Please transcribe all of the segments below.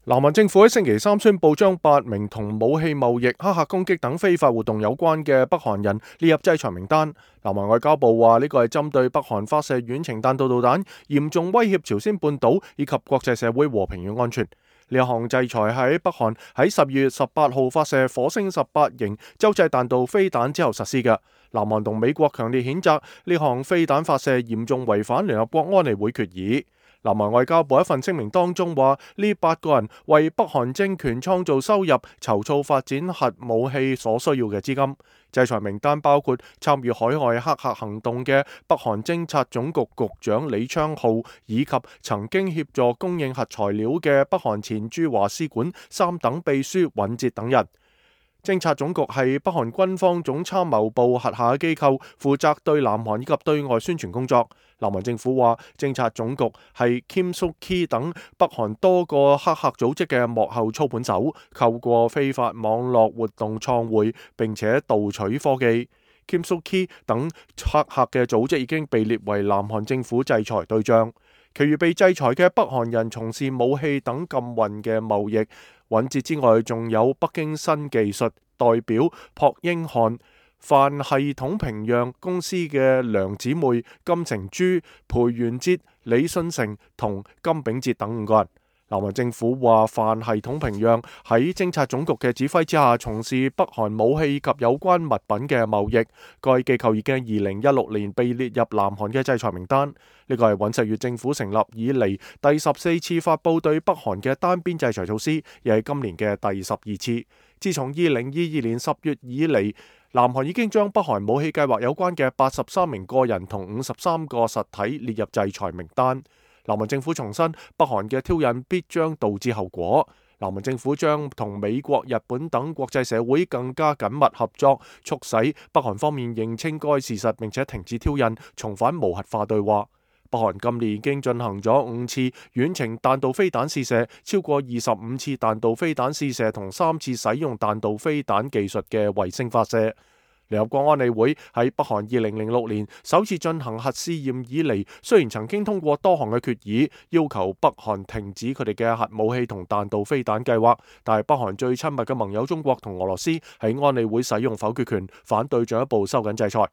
南韓政府喺星期三宣布將8名同武器貿易、黑客攻擊等非法活動有關嘅北韓人列入制裁名單。南韓外交部話呢個係針對北韓發射遠程彈道導彈，嚴重威脅朝鮮半島以及國際社會和平與安全。呢一項制裁喺北韓喺12月18號發射火星18型洲際彈道飛彈之後實施嘅。南韓同美國強烈譴責呢項飛彈發射嚴重違反聯合國安理會決議。南韓外交部一份聲明當中話，呢8個人為北韓政權創造收入，籌措發展核武器所需要嘅資金。制裁名單包括參與海外黑客行動嘅北韓偵察總局局長李昌浩，以及曾經協助供應核材料嘅北韓前駐華使館3等秘書尹哲等人。偵察總局係北韓軍方總參謀部轄下嘅機構，負責對南韓以及對外宣傳工作。南韓政府話，偵察總局係 Kim Suk-ki 等北韓多個黑客組織嘅幕後操盤手，透過非法網絡活動創匯，並且盜取科技。Kim Suk-ki 等黑客嘅組織已經被列為南韓政府制裁對象。其餘被制裁嘅北韓人從事武器等禁運嘅貿易。尹哲之外，仲有北京新技術代表朴英漢、泛系統平壤公司嘅梁姊妹、金成洙、裴元哲、李信成同金炳哲等5個人。南韓政府話，泛系統平壤喺偵察總局嘅指揮之下，從事北韓武器及有關物品嘅貿易。該機構已經2016年被列入南韓嘅制裁名單。呢個係尹錫悅政府成立以嚟第14次發佈對北韓嘅單邊制裁措施，亦係今年嘅第12次。自從2022年10月以嚟，南韓已經將北韓武器計劃有關嘅83名個人同53個實體列入制裁名單。南韓政府重申，北韓嘅挑釁必將導致後果。南韓政府將同美國、日本等國際社會更加緊密合作，促使北韓方面認清該事實，並且停止挑釁，重返無核化對話。北韓今年已經進行咗5次遠程彈道飛彈試射，超過25次彈道飛彈試射同3次使用彈道飛彈技術嘅衛星發射。聯合國安理會喺北韓2006年首次進行核試驗以嚟，雖然曾經通過多項嘅決議，要求北韓停止佢哋嘅核武器同彈道飛彈計劃，但係北韓最親密嘅盟友中國同俄羅斯喺安理會使用否決權，反對進一步收緊制裁。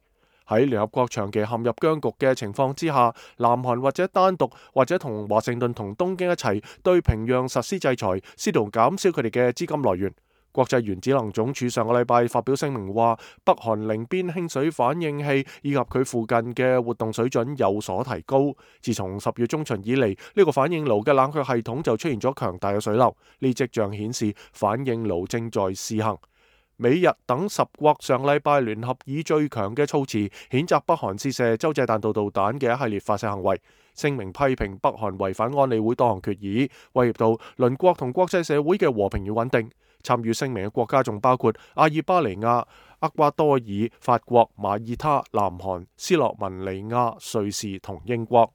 喺聯合國長期陷入僵局嘅情況之下，南韓或者單獨或者同華盛頓同東京一齊對平壤實施制裁，試圖減少佢哋嘅資金來源。國際原子能總署上個禮拜發表聲明話，北韓寧邊輕水反應器以及佢附近嘅活動水準有所提高。自從10月中旬以嚟，呢個反應爐嘅冷卻系統就出現咗強大嘅水流，呢跡象顯示反應爐正在試行。美日等10國上禮拜聯合以最強嘅措辭譴責北韓試射洲際彈道導彈嘅一系列發射行為，聲明批評北韓違反安理會多項決議，威脅到鄰國同國際社會嘅和平與穩定。參與聲明嘅國家仲包括阿爾巴尼亞、厄瓜多爾、法國、馬爾他、南韓、斯洛文尼亞、瑞士同英國。